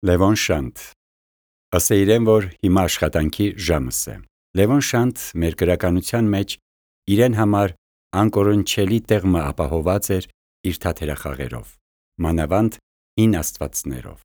Լևոն Շանթ Ըստ իրեն, որ հիմա աշխատանքի ժամս է։ Լևոն Շանթ մեր գրականության մեջ իրեն համար անկորնչելի տեղ մը ապահոված էր իր թատերախաղերով, մանավանդ հին աստվածներով։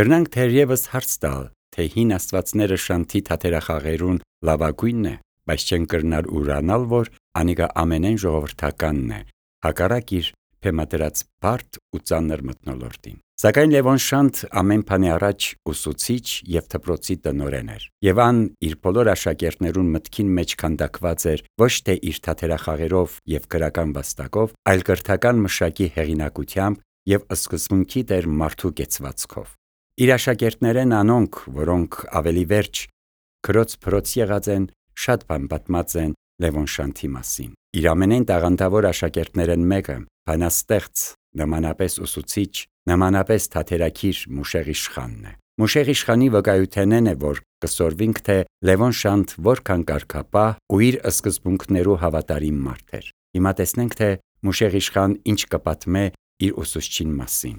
Կրնանք թերևս հարց տալ, թե հին աստվածները Շանթի թատերախաղերուն լավագույնն է, բայց չեն կրնար ուրանալ, որ անիկա ամենեն ժողովրդականն է, հակառակ իր փեմադրած բարդ ու ծանր մթնոլորտին։ Սակայն Լևոն Շանթ ամեն բանի առաջ ուսուցիչ և դպրոցի տնօրեն էր, և ան իր բոլոր աշակերտներուն մտքին մեջ քանդակված էր ոչ թե իր թատերախաղերով և գրական վաստակով, այլ կրթական մշակի հեղինակությամբ և սկզբունքի տեր մարդու կեցվածքով։ Իր աշակերտներեն անոնք, որոնք ավելի վերջ քրոց փրոց եղած են, շատ բան պատմած են Լևոն Շանթի մասին։ Իր ամենեն տաղանդավոր աշակերտներեն մեկը, բանաստեղծ, նմանապես ուսուցիչ, նմանապես թատերագիր Մուշեղ Իշխանն է։ Մուշեղ Իշխանի վկայութենեն է, որ կսորվինք, թե Լևոն Շանթ որքան կարգապահ ու իր սկզբունքներու հավատարիմ մարդ էր։ Հիմա տեսնենք, թե Մուշեղ Իշխան ինչ կպատմե իր ուսուցչին մասին։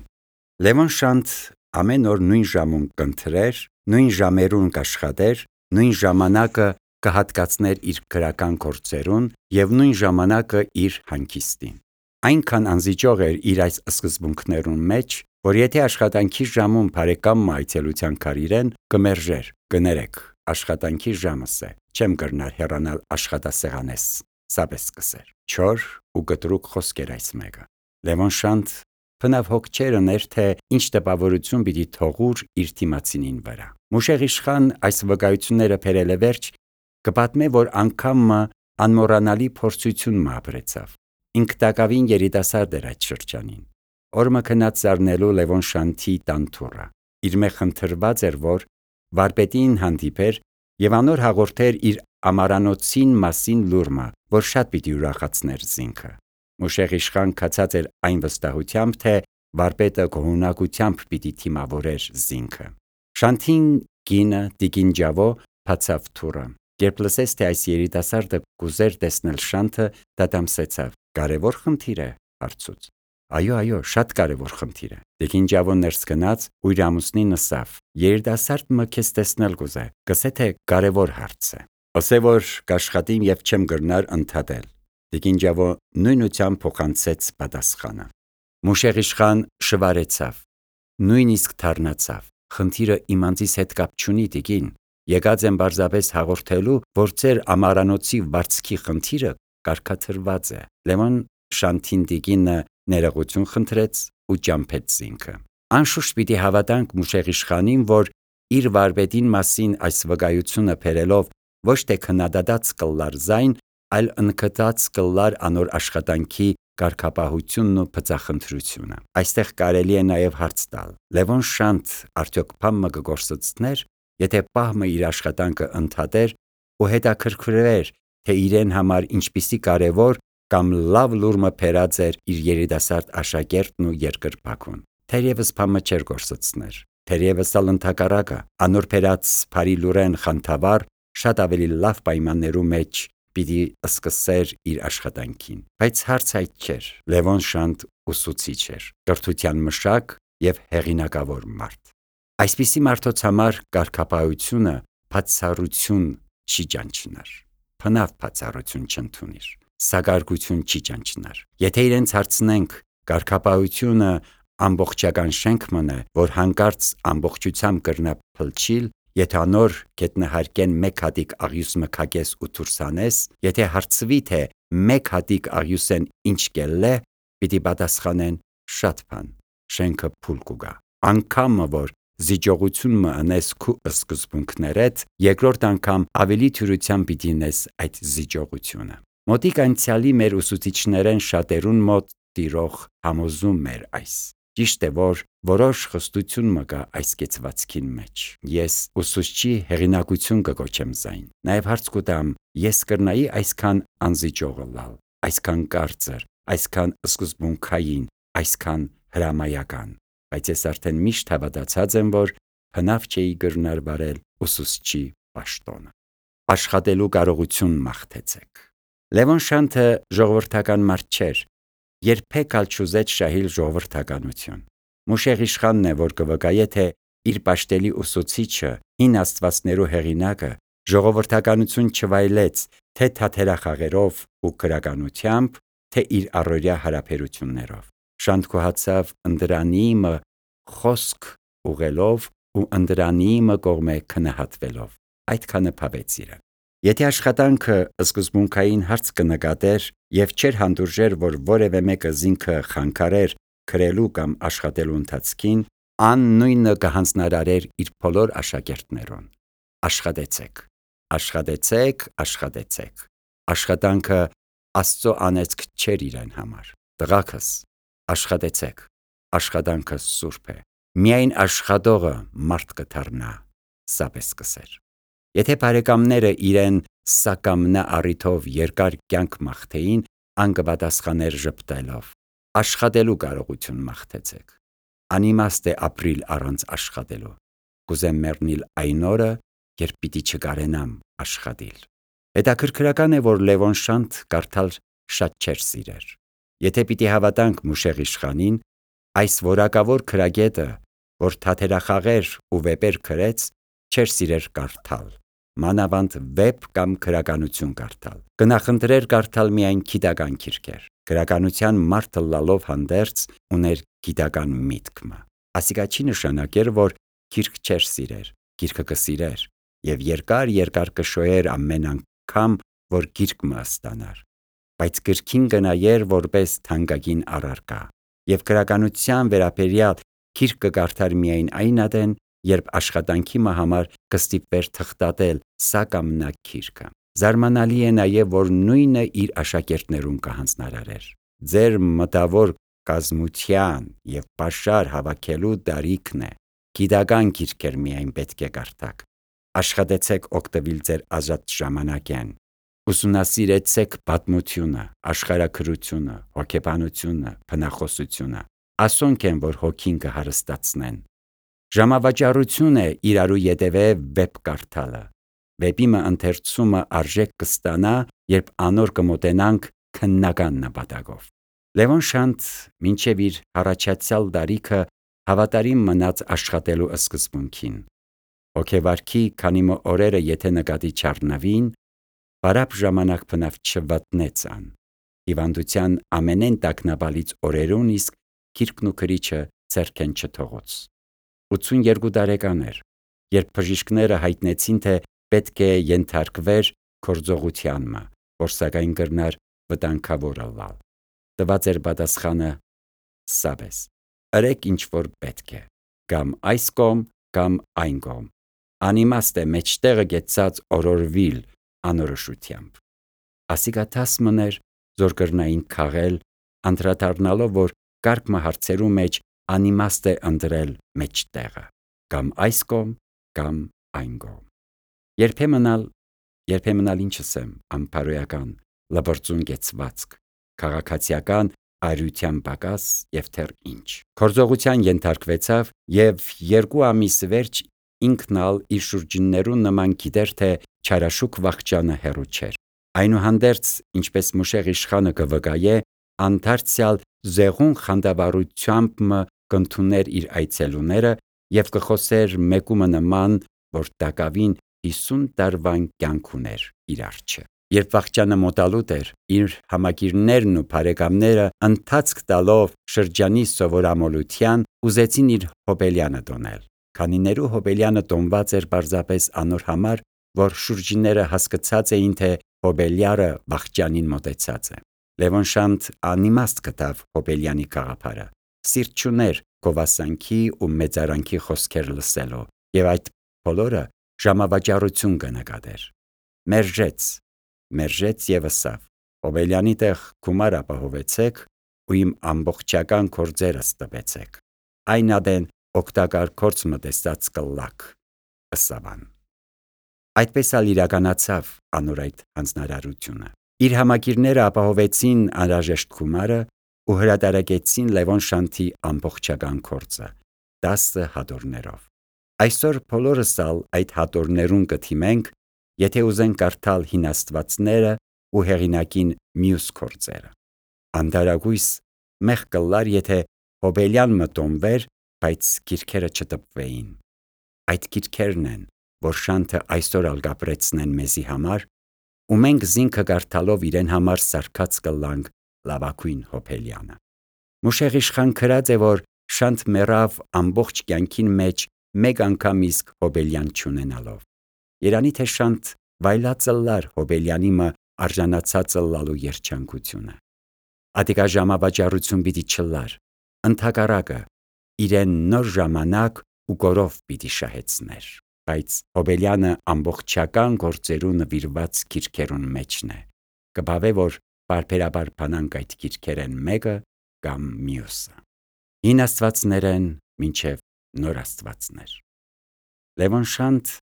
Լևոն Շանթ ամեն օր նույն ժամուն կընթրեր, նույն ժամերուն կաշխատեր, նույն ժամանակը կհատկացներ իր գրական գործերուն և նույն ժամանակը իր հանգիստին։ Այնքան անզիջող էր իր այս սկզբունքներուն մեջ, որ եթե աշխատանքի ժամուն բարեկամը այցելության կարիրեն, կմերժեր, կներեք, աշխատանքի ժամս է, չեմ կրնար հեռանալ աշխատասեղանես, սապես կսեր։ Չոր ու կտրուկ խոսք էր այս մեկը։ Լևոն Շանթ բնավ հոգ չէր ուներ, թե ինչ տպավորություն պիտի թողուր իր դիմացինին վրա։ Մուշեղ Իշխան այս վկայությունները բերել է վերջ, կպատմե, որ անգամ անմոռանալի փորձություն ապրեցավ։ Ինք տակավին երիտասարդ էր այդ շրջանին։ Օրը քնած զարնելու Լևոն Շանթի տանտուրը։ Իր մե խնդրված էր, որ վարպետին հանդիպեր և անոր հաղորդեր իր ամարանոցին մասին լուրմը, որ շատ պիտի ուրախացներ զինքը։ Մուշեղ Իշխան կացած էր այն վստահությամբ, թե վարպետը գոհունակությամբ պիտի թիմավորեր զինքը։ Շանթին կինը տիկին Ջավո բացավ թուրը։ Երբ լսեց, թե այս երիտասարդը կուզեր տեսնել Շանթը, դադամսեցավ։ Կարևոր խնդիր է, հարցուց։ Այո, շատ կարևոր խնդիր է։ Տիկին Ջավոն ներս գնաց ու իր ամուսնին ասավ. երիտասարդը քեզ տեսնել կուզե, կսե թե կարևոր հարց է։ Ասե որ կաշխատիմ և չեմ կրնար ընդհատել։ Տիկին Ջավո նույնությամբ փոխանցեց պատասխանը։ Մուշեղ Իշխան շվարեցավ, նույնիսկ թարնացավ։ Խնդիրը իմ անձիս հետ կապ չունի, տիկին։ Եկած եմ պարզապես հաղորդելու, որ ձեր ամարանոցի վարձքի խնդիրը կարգադրված է։ Լևոն Շանթին տիկինը ներողություն խնդրեց ու ճամփեց զինքը։ Անշուշտ պիտի հավատանք Մուշեղ Իշխանին, որ իր վարպետին մասին այս վկայությունը բերելով ոչ թե քննադատած կլար զայն, այլ ընդգծած կլար անոր աշխատանքի կարգապահությունն ու բծախնդրությունը։ Այստեղ կարելի է նաև հարց տալ. Լևոն Շանթ արդյոք բամը կգործոցներ, եթե պահմը իր աշխատանքը ընդհատեր ու հետաքրքրվեր, թե իրեն համար ինչպիսի կարևոր կամ լավ լուրմը բերած էր իր երիտասարդ աշակերտն ու երկրպագուն։ Թերևս բամը չէր գործոցներ։ Թերևս ալ ընդհակառակը, անոր բերած բարի լուրեն խանդավառ, շատ ավելի լավ պայմաններու մեջ պիտի սկսեր իր աշխատանքին։ Բայց հարց այդ չէր։ Լևոն Շանթ ուսուցիչ էր, կրթության մշակ և հեղինակավոր մարդ։ Այսպիսի մարդոց համար կարգապահությունը բացառություն չի ճանչնար։ Բնավ բացառություն չընդունիր, սակարկություն չի ճանչնար։ Եթե իրենց հարցնենք, կարգապահությունը ամբողջական շենք մնե, որ հանկարծ ամբողջությամբ կրնա փլչիլ, եթե անոր գետնահարկեն մեկ հատիկ աղյուս մքակես ու դուրսանես, եթե հարցվի, թե մեկ հատիկ աղյուսեն ինչ կելլե, պիտի պատասխանեն շատ բան, շենքը փուլ կուգա։ Անգամը որ զիջողություն մը ընես քու սկզբունքներդ, երկրորդ անգամ ավելի թյուրությամբ պիտի նես այդ զիջողությունը։ Մոտիկ անցյալի մեր ուսուցիչներեն շատերուն մոտ տիրող համոզում էր այս։ Ճիշտ է, որ որոշ խստություն մը կա այս կեցվածքին մեջ։ Ես ուսուցչի հեղինակություն կկոչեմ զայն։ Նաև հարց կուտամ, ես կրնայի այսքան անզիջողը լալ, այսքան կարծր, այսքան սկզբունքային, այսքան հրամայական։ Բայց ես արդեն միշտ հավատացած եմ, որ հնավ չէի կրնար վարել ուսուցչի պաշտոնը։ Աշխատելու կարողություն մաղթեցեք։ Լևոն Շանթը ժողովրդական մարդ չէր, երբեք ալ չուզեց շահիլ ժողովրդականություն։ Մուշեղ Իշխանն է, որ կվկայե, թե իր պաշտելի ուսուցիչը, հին աստվածներու հեղինակը, ժողովրդականություն չվայելեց թե թատերախաղերով ու քրականությամբ, թե իր առօրյա հարաբերություններով։ Շանթքուհացավ ընդրանիմը խոսք ուղելով ու ընդրանիմը կողմե քնահատվելով։ Այդքանը փավեց իրը։ Եթե աշխատանքը սկզբունքային հարց կնկատեր եւ չէր հանդուրժեր, որ որևէ մեկը զինքը խանգարեր քրելու կամ աշխատելու ընթացքին, ան նույնը կհանձնարարեր իր բոլոր աշակերտներուն։ Աշխատեցեք, աշխատեցեք, աշխատեցեք։ Աշխատանքը Աստծո անեծք չէր իրեն համար։ Տղաքս, աշխատեցեք, աշխատանքը սուրբ է։ Միայն աշխատողը մարդ կդառնա, սապես կսեր։ Եթե բարեկամները իրեն սակամնա առիթով երկար կյանք մաղթեին, ան կպատասխաներ ժպտելով. աշխատելու կարողություն մաղթեցեք։ Անիմաստ է ապրիլ առանց աշխատելու։ Կուզեմ մեռնել այն օրը, երբ պիտի չկարենամ աշխատիլ։ Հետաքրքրական է, որ Լևոն Շանթ կարդալ շատ չէր սիրեր։ Եթե պիտի հավատանք Մուշեղ իշխանին, այս որակավոր քրագետը, որ թատերախաղեր ու վեպեր գրեց, չէր սիրեր կարդալ, մանավանդ վեպ կամ քրականություն կարդալ։ Կնախընտրեր կարդալ միայն գիտական գիրքեր։ Քրականության մարդը լալով հանդերձ ուներ գիտական միտքը։ Ասիկա չի նշանակեր, որ գիրք չէր սիրեր, գիրքը կսիրեր եւ երկար կշոյեր ամեն անգամ, որ գիրք մը ստանար, բայց գրքին գնայեր որպես թանկագին առարկա եւ քրականության վերաբերյալ գիրք կկարդար միայն այն ադեն, երբ աշխատանքի մը համար կստիպվեր թղթատել սա կամ նա գիրքը։ Զարմանալի է նաև, որ նույնը իր աշակերտներուն կհանձնարարեր։ Ձեր մտավոր կազմության եւ պաշար հավաքելու դարիքն է։ Գիտական գիրքեր միայն պետք է կարդաք։ Աշխատեցեք օգտվել ձեր ազատ ժամանակեն։ Ուսումնասիրեցեք պատմությունը, աշխարհագրությունը, հոգեբանությունը, բնախոսությունը։ Ասոնք են, որ հոգին կհարստացնեն։ Ժամավաճառություն է իրարու ետևե վեպ կարդալը։ Վեպի մը ընթերցումը արժեք կստանա, երբ անոր կմոտենանք քննական նպատակով։ Լևոն Շանթ մինչև իր հառաջացյալ դարիքը հավատարիմ մնաց աշխատելու սկզբունքին։ Հոգեվարքի քանի մը օրերը եթե նկատի չառնավին, բարապ ժամանակ բնավ չվատնեց ան։ Հիվանդության ամենեն տագնապալից օրերուն իսկ գիրքն ու գրիչը ձեռքեն չթողոց։ 82 տարեկան էր, երբ բժիշկները հայտնեցին, թե պետք է ենթարկվեր գործողությանմը, որ սակայն կրնար վտանգավոր ըլլալ։ Տված էր պատասխանը. սաբես, ըրեք ինչ որ պետք է, կամ այս կողմ, կամ այն կողմ։ Անիմաստ է մեջտեղը գեցած օրորվիլ անորոշությամբ։ Ասիկա տաս մներ, զոր կրնային քաղել, անդրադառնալով, որ կարգ հարցերու մեջ անիմաստ է ընտրել մեջտեղը, կամ այս կողմ, կամ այն կողմ։ Երբեմն ինչ ասեմ, անփարոյական, լբրծուն գեցվածք, քաղաքացիական արյության պակաս եւ թեր ինչ։ Գործողության ենթարկվեցավ եւ 2 ամիս վերջ ինքն ալ իր շուրջիններուն նման գիտեր, թե չարաշուկ վախճանը հեռու չէր։ Այնուհանդերձ, ինչպես Մուշեղ իշխանը կվկայե, անդարձյալ զեղուն խանդավառությամբ կընդուներ իր այցելուները եւ կխոսեր մեկումը նման, որ տակավին 50 տարվան կյանք ուներ իր արջը։ Երբ վախճանը մոտալուտ էր, իր համագիրներն ու բարեկամները ընթացք տալով շրջանի սովորամոլության ուզեցին իր հոբելյանը տոնել։ Քանիներու հոբելյանը տոնված էր պարզապես անոր համար, որ շուրջինները հասկացած էին, թե հոբելյարը վախճանին մոտեցած է։ Լևոն Շանթ անիմաստ գտավ հոբելյանի գաղափարը։ Սիրտ չուներ գովասանքի ու մեծարանքի խոսքեր լսելու, եւ այդ բոլորը ժամավաճառություն կնկատեր։ Մերժեց եւ ասավ. Հոբելյանի տեղ գումար ապահովեցեք ու իմ ամբողջական գործերը ստվեցեք։ Այն ադեն օգտակար գործ մտեսած կլակ, ըսավան։ Այդպես ալ իրականացավ անոր այդ հանձնարարությունը։ Իր համագիրները ապահովեցին անհրաժեշտ գումարը ու հրատարակեցին Լևոն Շանթի ամբողջական գործը 10 հատորներով։ Այսօր բոլորս ալ այդ հատորներուն կթիմենք, եթե ուզենք կարդալ հին աստվածները ու հեղինակին մյուս գործերը։ Անդարագույս մեղ կլար, եթե հոբելյան մտոնվեր, բայց գիրքերը չտպվեին։ այդ գիրքերն են, որ շանթը այսօր ալգապրեցնեն մեզի համար, ու մենք զինքը գարթալով իրեն համար սարքած կլանք լավակույն Հոբելյանը։ Մուշեղ իշխան քրած է, որ շանթ մեռավ ամբողջ կյանքին մեջ մեկ անգամ իսկ Հոբելյան չունենալով։ Երանի թե շանթ վայլածլլար Հոբելյանի մը արժանացածը լալու երջանկությունը։ Ադիկա ժամավաճառություն պիտի չլար, ընդհակառակը իրեն նոր ժամանակ ու գորով պիտի շահեցներ, բայց Հոբելյանը ամբողջական գործերու նվիրված գիրքերուն մեջն է, կբավե որ բարբերաբար բանանք այդ գիրքերեն մեկը կամ մյուսը։ Հին աստվածներեն մինչև նոր աստվածներ։ Լևոն Շանթ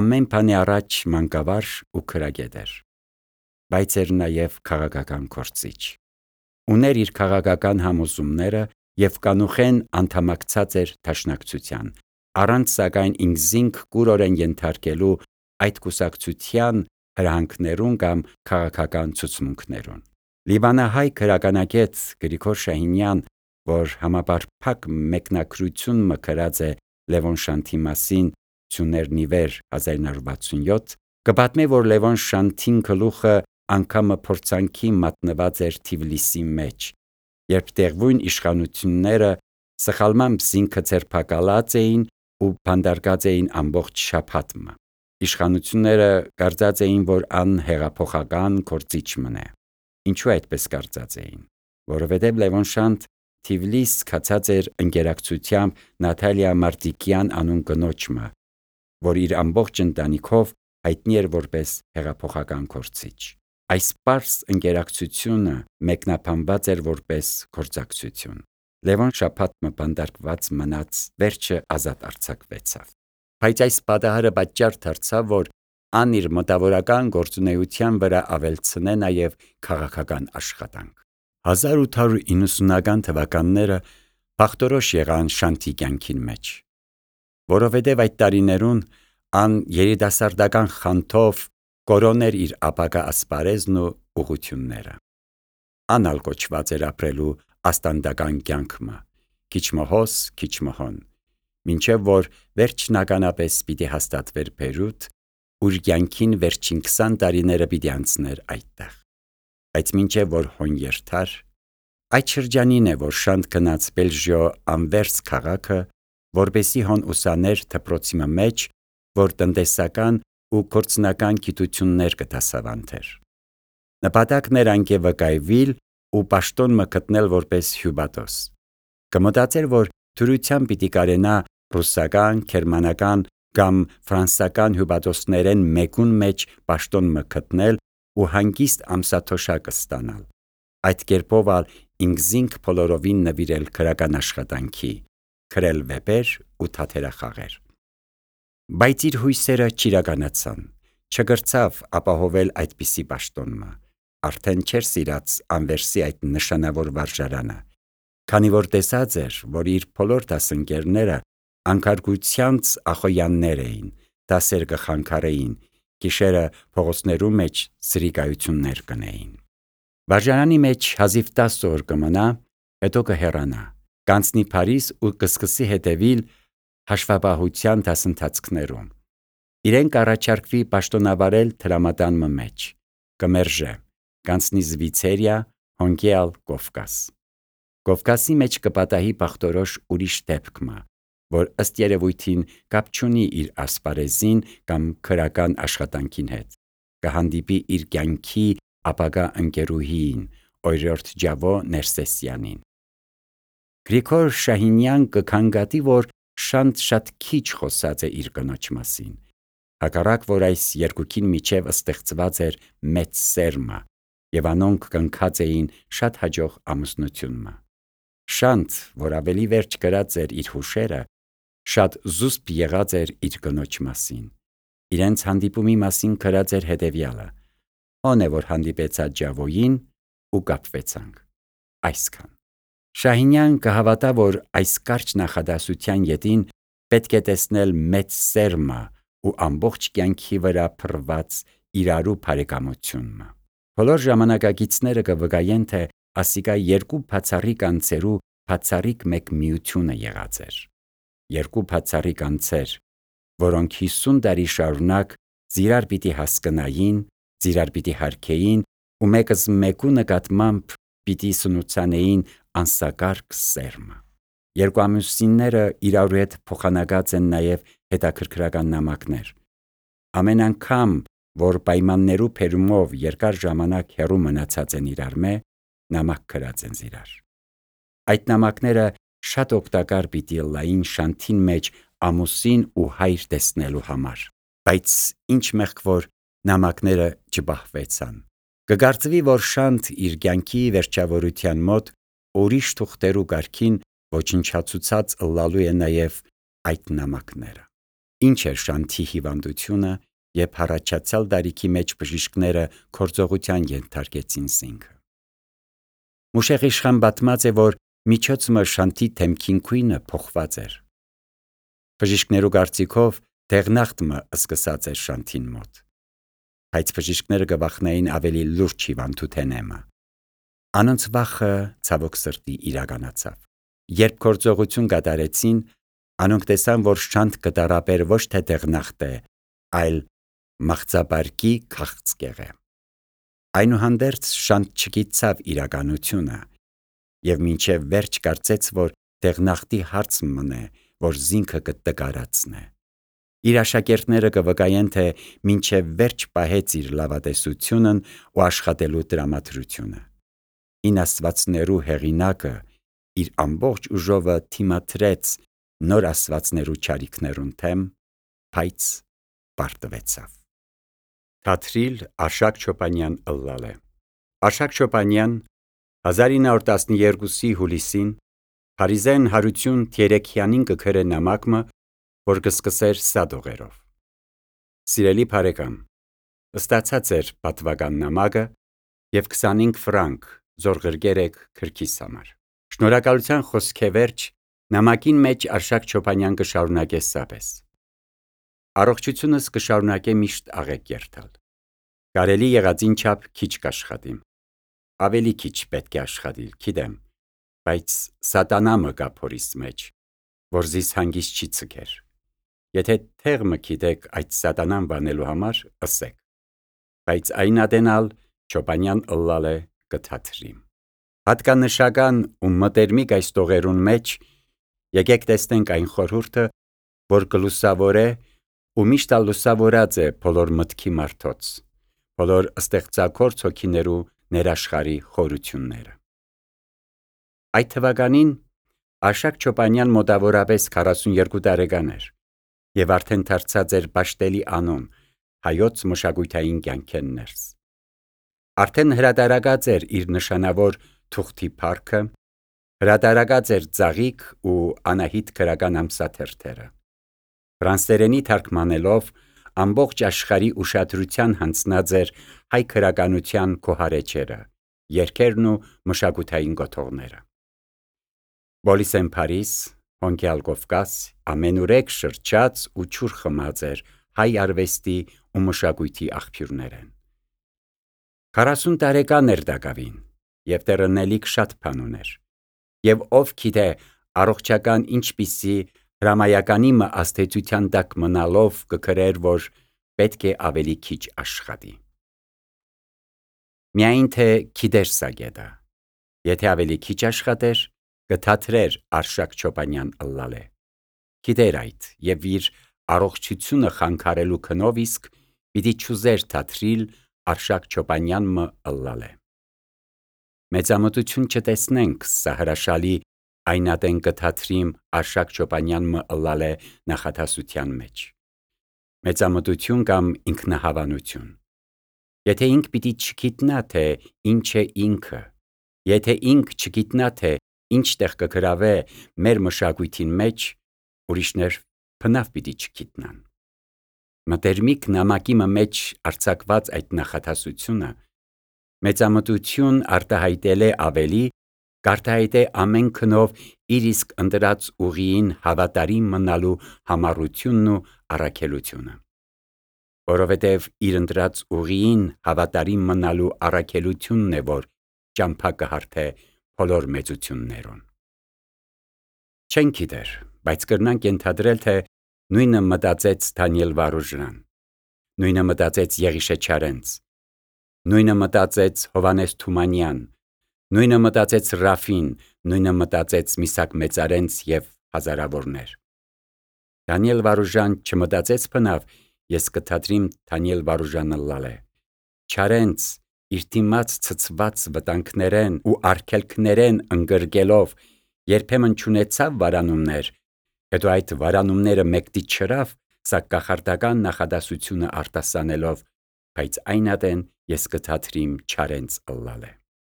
ամեն բանի առաջ մանկավար ու քրագետ էր, բայց էր նաև քաղաքական գործիչ։ Ուներ իր քաղաքական համոզումները և կանուխեն անդամակցած էր դաշնակցության, առանց սակայն ինքզինք կուրորեն ենթարկելու այդ կուսակցության հրահանգներուն կամ քաղաքական ցուցմունքներուն։ Լիբանահայ քրականագետ Գրիգոր Շահինյան, որ համապարփակ մեկնագրություն մկրած է Լևոն Շանթի մասին Ցուներնի վեր 1967, կպատմի, որ Լևոն Շանթին գլուխը անգամը փորձանքի մատնված էր Թիֆլիսի մեջ, երբ տեղվույն իշխանությունները սխալմամբ զինքը ձերբակալած էին ու բանդարգած էին ամբողջ շաբաթը։ Իշխանությունները կարծած էին, որ ան հեղափոխական գործիչ մնե։ Ինչու այդպես կարծած էին, որովհետև Լևոն Շանթ Թիֆլիս գացած էր ընկերակցությամբ Նատալիա Մարտիկյան անուն կնոջը, որ իր ամբողջ ընտանիքով հայտնի էր որպես հեղափոխական գործիչ։ Այս պարզ ընկերակցությունը մեկնաբանված էր որպես գործակցություն։ Լևոն շաբաթը բանդարգված մնաց, վերջը ազատ արձակվեցավ։ Բայց այս պատահարը պատճառ դարձավ, որ ան իր մտավորական գործունեության վրա ավելցնե նաև քաղաքական աշխատանք։ 1890-ական թվականները բախտորոշ եղան Շանթի կյանքին մեջ, որովհետև այդ տարիներուն ան երիտասարդական խանդով կորոներ իր ապագա ասպարեզն ու ուղությունները։ Ան ալ կոչված էր ապրելու աստանդական կյանքը, քիչ մհոս, քիչ մհոն, մինչև որ վերջնականապես պիտի հաստատվեր Բեյրութ, ուր կյանքին վերջին 20 տարիները պիտի անցներ այդտեղ։ Բայց մինչև որ հոն երթար, այդ շրջանին է, որ Շանթ գնաց Բելժիո Անվերս քաղաքը, որպեսի հոն ուսաներ դպրոցի մեջ, որ տնտեսական ու գործնական գիտություններ կդասավանդեր։ Նպատակն էր անկե վկայվիլ ու պաշտոն մը գտնել որպես հյուբատոս։ Կմտածեր, որ դրությամբ պիտի կարենա ռուսական, գերմանական կամ ֆրանսական հյուբատոսներեն մեկուն մեջ պաշտոն մը գտնել ու հանգիստ ամսաթոշակ ստանալ։ Այդ կերպով ալ ինքզինք բոլորովին նվիրել քրական աշխատանքի, գրել վեպեր ու թատերախաղեր։ Բայց իր հույսերը չիրականացան, չգրցավ ապահովել այդպիսի պաշտոնը, արդեն չէր սիրած Անվերսի այդ նշանավոր վարժարանը, քանի որ տեսած էր, որ իր բոլոր դասընկերները անկարգությանց ախոյաններ էին, դասեր կխանգարեին, գիշերը փողոցներու մեջ սրիկայություններ կնեին։ Վարժարանի մեջ հազիվ 10 օր կմնա, հետո կհեռանա, կանցնի Փարիզ ու կսկսի հետևիլ հաշվապահության դասընթացքներում։ Իրեն կառաջարկվի պաշտոնավարել տրամադան մեջ, կմերժե, կանցնի Զվիցերիա, հոնկեալ Կովկաս։ Կովկասի մեջ կպատահի բախտորոշ ուրիշ դեպքը, որ ըստ երևույթին կապ չունի իր ասպարեզին կամ քրական աշխատանքին հետ, կհանդիպի իր կյանքի ապագա ընկերուհին, օրիորդ Ջավո Ներսեսյանին։ Գրիգոր Շահինյան կքննադատի, որ Շանթ շատ քիչ խոսած է իր կնոջ մասին, հակառակ որ այս երկուքին միջև ստեղծված էր մեծ սերմը, և անոնք կնքած էին շատ հաջող ամուսնությունը։ Շանթ, որ ավելի վերջ գրած էր իր հուշերը, շատ զուսպ եղած էր իր կնոջ մասին։ Իրենց հանդիպումի մասին գրած էր հետևյալը. «Ո՞ն է, որ հանդիպեցա Ջավոյին ու կապվեցանք»։ Այսքան։ Շահինյան կհավատա, որ այս կարճ նախադասության ետին պետք է տեսնել մեծ սերմը ու ամբողջ կյանքի վրա փռված իրարու բարեկամությունը։ Բոլոր ժամանակագիցները կվկայեն, թե ասիկա երկու բացառիկ անձերու բացառիկ մեկ միությունը եղած էր։ Երկու բացառիկ անձեր, որոնք 50 տարի շարունակ զիրար պիտի հասկնային, զիրար պիտի հարգեին ու մեկս մեկու նկատմամբ պիտի սնուցանեին անսակարգ սերմը։ Երկու ամուսինները իրարու հետ փոխանակած են նաև հետաքրքրական նամակներ։ Ամեն անգամ, որ պայմաններու փերումով երկար ժամանակ հեռու մնացած են իրար մե, նամակ գրած են իրար։ Այդ նամակները շատ օգտակար պիտի լային շանթին մեջ ամուսին ու հայր տեսնելու համար, բայց ինչ մեղք որ նամակները չբահվեցան։ Կգարծվի, որ շանթ իր կյանքի վերջավորության մոտ ուրիշ թուղթերու կարգին ոչնչացուցած ըլլալու է նաև այդ նամակները։ Ինչ էր շանթի հիվանդությունը, երբ հառաջացյալ տարիքի մեջ բժիշկները գործողության ենթարկեցին զինքը։ Մուշեղ իշխան պատմած է, որ միջոցը շանթի թեմքին քույնը փոխված էր։ Բժիշկներու կարծիքով դեղնախտը սկսած էր շանթին մոտ, բայց բժիշկները կվախնային ավելի լուրջ հիվանդութենեմը։ Անոնց վախը ցավոք սրտի իրականացավ։ Երբ գործողություն կատարեցին, անոնք տեսան, որ շանթ կտարապեր ոչ թե դեղնախտ է, այլ մաղձաբարկի քաղցկեղ է։ Այնուհանդերձ շանթ չգիտցավ իրականությունը և մինչև վերջ կարծեց, որ դեղնախտի հարց մնե, որ զինքը կտկարացնե։ Իր աշակերտները կվկայեն, թե մինչև վերջ պահեց իր լավատեսությունն ու աշխատելու տրամադրությունը։ Հին աստվածներու հեղինակը իր ամբողջ ուժովը թիմադրեց նոր աստվածներու չարիքներուն թեմ, բայց պարտվեցավ։ Թաթրիլ Արշակ Չոպանյան ըլլալե։ Արշակ Չոպանյան 1912 հուլիսին Փարիզեն Հարություն Թերեքյանին կգրե նամակը, որ կսկսեր սադողերով։ Սիրելի բարեկամ, ստացած էր պատվական նամակը և 25 ֆրանկ զորգրգեր եք քրքիս համար։ Շնորհակալության խոսքեվերջ նամակին մեջ Արշակ Չոպանյան կշարունակե սապես. Առողջությունս կշարունակե միշտ աղեկ երթալ։ Կարելի եղածին չափ քիչ կաշխատիմ։ Ավելի քիչ պետք է աշխատիլ, գիտեմ, բայց սատանամը կա փորիս մեջ, որ զիս հանգիստ չի ցկեր։ Եթե թեղմը գիտեք այդ սատանան բանելու համար, ըսեք։ Բայց այն ադենալ Չոպանյան ըլլալե կթաթրիմ։ Հատկանշական ու մտերմիկ այս տողերուն մեջ եկեք տեսնենք այն խորհուրդը, որ կլուսավորե ու միշտ լուսավորած է բոլոր մտքի մարդոց, բոլոր ստեղծագործ հոգիներու ներաշխարի խորությունները։ Այդ թվականին Արշակ Չոպանյան մոտավորապես 42 տարեկան էր և արդեն դարձած էր պաշտելի անուն հայոց մշակութային կյանքեն ներս։ Արդեն հրատարակած էր իր նշանավոր թուղթի փառքը, հրատարակած էր Ծաղիկ ու Անահիտ գրական ամսաթերթերը։ Ֆրանսերենի թարգմանելով ամբողջ աշխարհի ուշադրության հանձնած էր հայ գրականության քոհարեջերը, երգերն ու մշակութային կոթողները։ Բոլիսեն Փարիզ, Հոնքյալ Կովկաս, ամենուրեք շրջած ու ջուր խմած էր հայ արվեստի ու մշակույթի աղբյուրներեն։ 40 տարեկան էր դակավին և տեղնելիք շատ բան ուներ, և ով գիտե առողջական ինչպիսի հրամայականի աստեցության տակ մնալով կգրեր, որ պետք է ավելի քիչ աշխատի։ Միայն թե գիտեր սա գետը, եթե ավելի քիչ աշխատեր, կթաթրեր Արշակ Չոպանյան ըլլալե։ Գիտեր այդ և իր առողջությունը խանգարելու քնով իսկ պիտի չուզեր թաթրիլ Արշակ Չոպանյան ըլլալե։ Մեծամտություն չտեսնենք սա հրաշալի այն ատեն կթաթրիմ Արշակ Չոպանյան ըլլալե նախադասության մեջ։ Մեծամտություն կամ ինքնահավանություն։ Եթե ինք պիտի չգիտնա, թե ինչ է ինքը, եթե ինք չգիտնա, թե ինչ տեղ կգրավե մեր մշակույթին մեջ, ուրիշներ բնավ պիտի չգիտնան։ Մտերմիկ նամակի մեջ արձակված այդ նախադասությունը մեծամտություն արտահայտել է ավելի, կարտահայտե ամեն քնով իր իսկ ընտրած ուղիին հավատարիմ մնալու համառությունն ու առաքելությունը։ Որովհետև իր ընտրած ուղիին հավատարիմ մնալու առաքելությունն է, որ ճամփա կհարթե բոլոր մեծություններուն։ Չենք գիտեր, բայց կրնանք ենթադրել, թե Նույնը մտածեց Դանիել Վարուժան, նույնը մտածեց Եղիշե Չարենց, նույնը մտածեց Հովանես Թումանյան, նույնը մտածեց Ռաֆին, նույնը մտածեց Միսակ Մեծարենց և հազարավորներ։ Դանիել Վարուժան չմտածեց բնավ, ես կթադրիմ Դանիել Վարուժանը լալե։ Չարենց իր դիմաց ցցված վտանգներեն ու արգելքներեն ընկրկելով երբեմն չունեցավ վարանումներ, հետո այդ վարանումները մեկտի չրավ, սա կախարդական նախադասությունը արտասանելով, բայց այն ատեն ես կթադրիմ Չարենց ըլլալե։